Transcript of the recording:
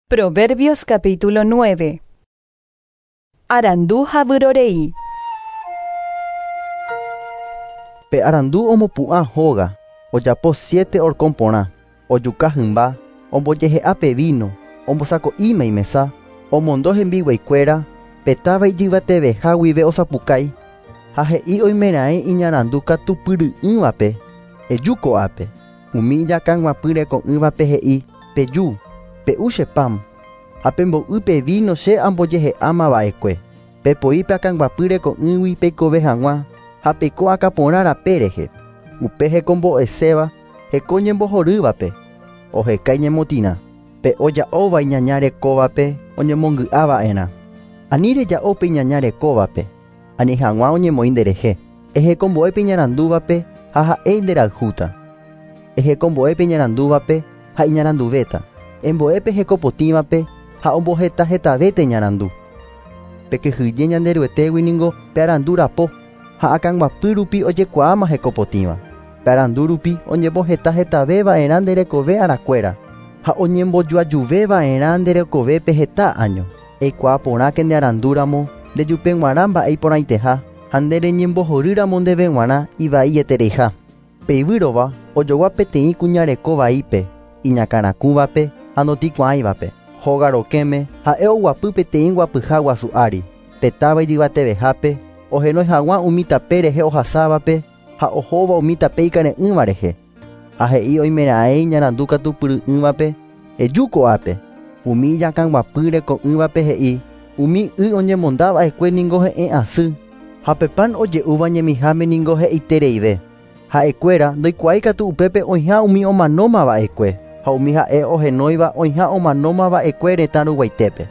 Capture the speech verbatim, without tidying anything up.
Proverbios capítulo nueve. Arandu ha vyrorei. Pe arandu omopu'ã hóga, ojapo siete horkon porã, ojuka hymba, ombojehe'a pe vino, ombosako'íma imesa, omondo hembiguaikuéra, pe táva ijyvateveha guive osapukái, ha he'i oimeraẽ iñarandu katupyry'ỹvape, eju ko'ápe, umi iñakãguapyreko'ỹvape he'i, peju, pe'u che pan, ha pembo'y pe vino che ambojehe'ámava'ekue, pepoi pe akãguapyreko'ỹgui peikove hag̃ua, ha peiko akãporã rape rehe, upe hekombo'eséva heko ñembohorývape, oheka iñemotirã, pe oja'óva iñaña rekóvape oñemongy'ava'erã. Ani reja'o pe iñaña rekóvape, ani hag̃ua oñemoĩ nderehe, ehekombo'e pe iñarandúvape ha ha'e nderayhúta. Ehekombo'e pe iñarandúvape ha iñaranduvéta, embo'e pe hekopotĩvape ha ombohetahetavéta iñarandu. Pekyhyje Ñanderuetégui ningo pe arandu rapo, ha akãguapy rupi ojekuaáma hekopotĩva. Pe arandu rupi oñembohetahetavéva'erã nderekove arakuéra, ha oñembojoajuveva'erã nderekovépe heta año. Eikuaa porãke ndearandúramo ndejupeg̃uarã mba'e iporãiteha ha ndereñembohorýramo ndéve g̃uarã ivaietereiha. Pe yvýrova ojogua peteĩ kuñareko vaípe, iñakãrakúvape ha ndotĩkuaáivape. Hóga rokẽme ha'e oguapy peteĩ guapyha guasu ári, pe táva ijyvatevehápe, ohenói hag̃ua umi tape rehe ohasávape ha ohóva umi tape ikare'ỹva rehe. Ha he'i oimeraẽ iñarandu katupyry'ỹvape, eju ko'ápe. Umi iñakãguapyreko'ỹvape he'i, umi y oñemondava'ekue ningo he'ẽ asy, ha pe pan oje'úva ñemiháme ningo he'itereive. Ha'ekuéra ndoikuaáikatu upépe oĩha umi omanómava'ekue, ha umi ha'e ohenóiva oĩha omanómava'ekue retã ruguaitépe.